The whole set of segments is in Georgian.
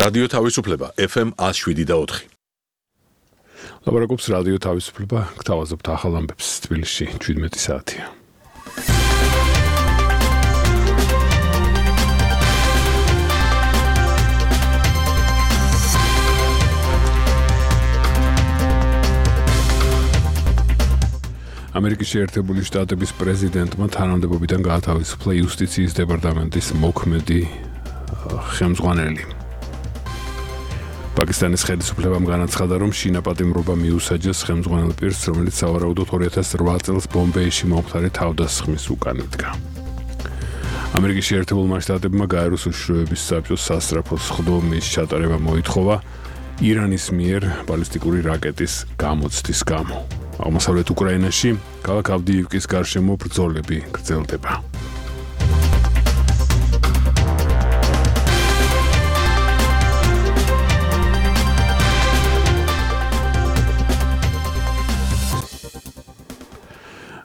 რადიო თავისუფლება FM 107.4. ლაპარაკობს რადიო თავისუფლება, გთავაზობთ ახალ ამბებს თბილისში 17 საათია. ამერიკის შეერთებული შტატების პრეზიდენტმა თანამდებობიდან გაათავისუფლა იუსტიციის დეპარტამენტის მოქმედი ხელმძღვანელი. პაკისტანის ხელისუფლებამ განაცხადა, რომ შინაპატიმრობა მიუსაჯეს ხელმძღვანელ პირს, რომელიც სავარაუდოდ 2008 წელს ბომბეიში მომხდარი თავდასხმის უკან იდგა. ამერიკის შეერთებულმა შტატებმა გაეროს უშიშროების საბჭოს სასწრაფო სხდომის ჩატარება მოითხოვა ირანის მიერ ბალისტიკური რაკეტის გამოცდის გამო. აღმოსავლეთ უკრაინაში ქალაქ ავდიივკის გარშემო ბრძოლები გრძელდება.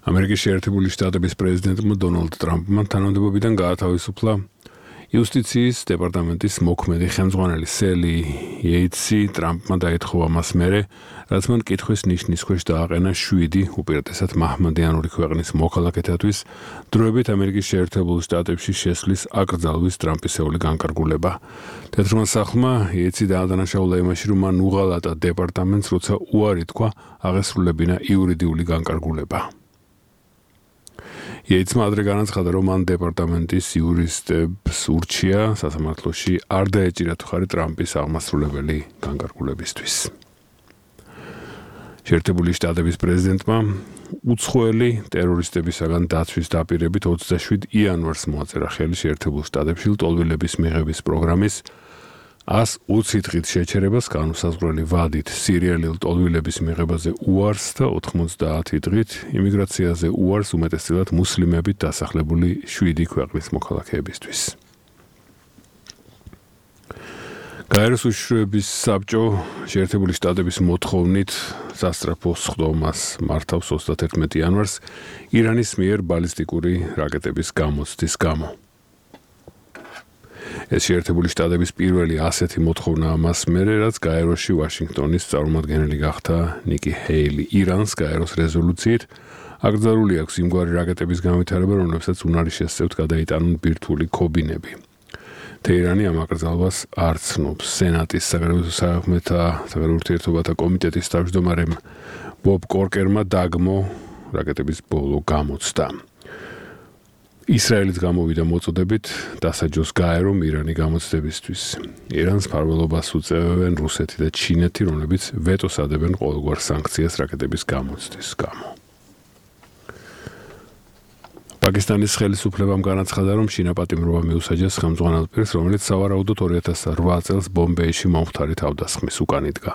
ამერიკის შეერთებული შტატების პრეზიდენტმა დონალდ ტრამპმა თანამდებობიდან გაათავისუფლა იუსტიციის დეპარტამენტის მოქმედი ხელმძღვანელი სელი იეიტსი. ტრამპმა დაითხოვა მას მერე, რაც მან კითხვის ნიშნის ქვეშ დააყენა 7 უპირატესად მაჰმადიანური ქვეყნის მოქალაქეთათვის დროებით ამერიკის შეერთებულ შტატებში შესვლის აკრძალვის ტრამპისეული განკარგულება. თეთრმა სახლმა იეიტსი დაადანაშაულა იმაში, რომ მან უღალატა დეპარტამენტს, როცა უარი თქვა აღესრულებინა იურიდიული განკარგულება. იეიტსმა ადრე განაცხადა, რომ მან დეპარტამენტის იურისტებს ურჩია სასამართლოში არ დაეჭირა ხარი ტრამპის აღმასრულებელი განკარგულებისთვის. შეერთებული შტატების პრეზიდენტმა უცხოელი ტერორისტებისაგან დაცვის დაპირებით 27 იანვარს მოაწერა ხელი შეერთებულ შტატებში ლტოლვილების მიღების პროგრამის 120 დღით შეჩერებას განუსაზღვრელი ვადით სირიელი ლტოლვილების მიღებაზე უარს და 90 დღით იმიგრაციაზე უარს უმეტესწილად მუსლიმებით დასახლებული 7 ქვეყნის მოქალაქეებისთვის. გაეროს უშიშროების საბჭო შეერთებული შტატების მოთხოვნით სასწრაფო სხდომას მართავს 31 იანვარს ირანის მიერ ბალისტიკური რაკეტების გამოცდის გამო. ეს შეერთებული შტატების პირველი ასეთი მოთხოვნა მას მერე, რაც გაეროში ვაშინგტონის წარმომადგენელი გახდა ნიკი ჰეილი. ირანს გაეროს რეზოლუციით აკრძალული აქვს იმგვარი რაკეტების განვითარება, რომლებსაც უნარი შესწევთ გადაიტანონ ბირთვული ქობინები. თეირანი ამ აკრძალვას არ ცნობს. სენატის საგარეო ურთიერთობათა კომიტეტის თავმჯდომარემ ბობ კორკერმა დაგმო რაკეტების ბოლო გამოცდა. ისრაელიც გამოვიდა მოწოდებით დასაჯოს გაერომ ირანი გამოცდებისთვის. ირანს მფარველობას უწევენ რუსეთი და ჩინეთი, რომლებიც ვეტოს ადებენ ყოველგვარ სანქციას რაკეტების გამოცდის გამო. პაკისტანის ხელისუფლებამ განაცხადა, რომ შინაპატიმრობა მიუსაჯეს ხელმძღვანელ პირს, რომელიც სავარაუდოდ 2008 წელს ბომბეიში მომხდარი თავდასხმის უკან იდგა.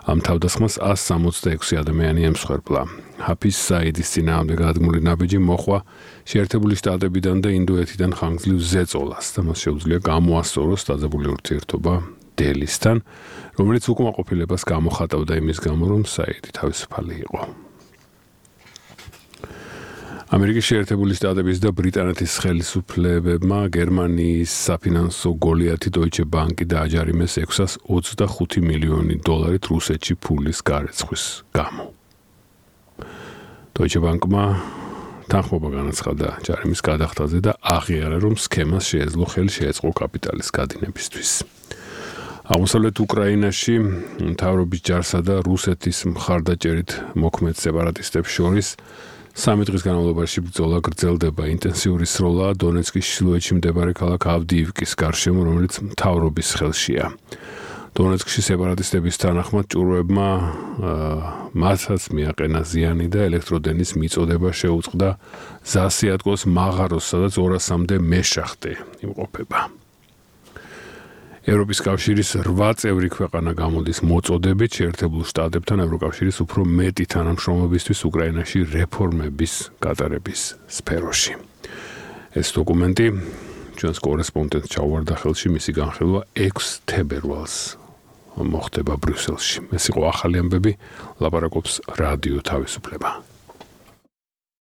ამ თავდასხმას 166 ადამიანი ემსხვერპლა. ჰაფიზ საიდის წინააღმდეგ გადადგმული ნაბიჯი მოხვა შეერთებული შტატებიდან და ინდოეთიდან ხანგრძლივ ზეწოლას და მას შეუძლია გამოასწოროს დაძაბული ურთიერთობა დელისთან, რომელიც უკმაყოფილებას გამოხატავდა იმის გამო, რომ საიდი თავისუფალი იყო. ამერიკის შეერთებული შტატების და ბრიტანეთის ხელისუფლებებმა გერმანიის საფინანსო გოლიათი Deutsche Bank დააჯარიმეს 625 მილიონი დოლარით რუსეთში ფულის გარეცხვის გამო. Deutsche Bank-მა თანხმობა განაცხადა ჯარიმის გადახდაზე და აღიარა, რომ სქემას შეეძლო ხელი შეეწყო კაპიტალის გადინებისთვის. აღმოსავლეთ უკრაინაში მთავრობის ჯარსა და რუსეთის მხარდაჭერით მოქმედ სეპარატისტებს შორის 3 დღის განმავლობაში ბრძოლა გრძელდება. ინტენსიური სროლაა დონეცკის ჩრდილოეთში მდებარე ქალაქ ავდიივკის გარშემო, რომელიც მთავრობის ხელშია. დონეცკში სეპარატისტების თანახმად ჭურვებმა მათაც მიაყენა ზიანი და ელექტროდენის მიწოდება შეუწყდა ზასიატკოს მაღაროს, სადაც 200-მდე მეშახტე იმყოფება. ევროპის კავშირის 8 წევრი ქვეყანა გამოდის მოწოდებით შეერთებულ შტატებთან ევროკავშირის უფრო მეტი თანამშრომლობისთვის უკრაინაში რეფორმების გატარების სფეროში. ეს დოკუმენტი ჩვენს კორესპონდენტს ჩაუვარდა ხელში, მისი განხილვა 6 თებერვალს მოხდება ბრიუსელში. ეს იყო ახალი ამბები, ლაპარაკობს რადიო თავისუფლება.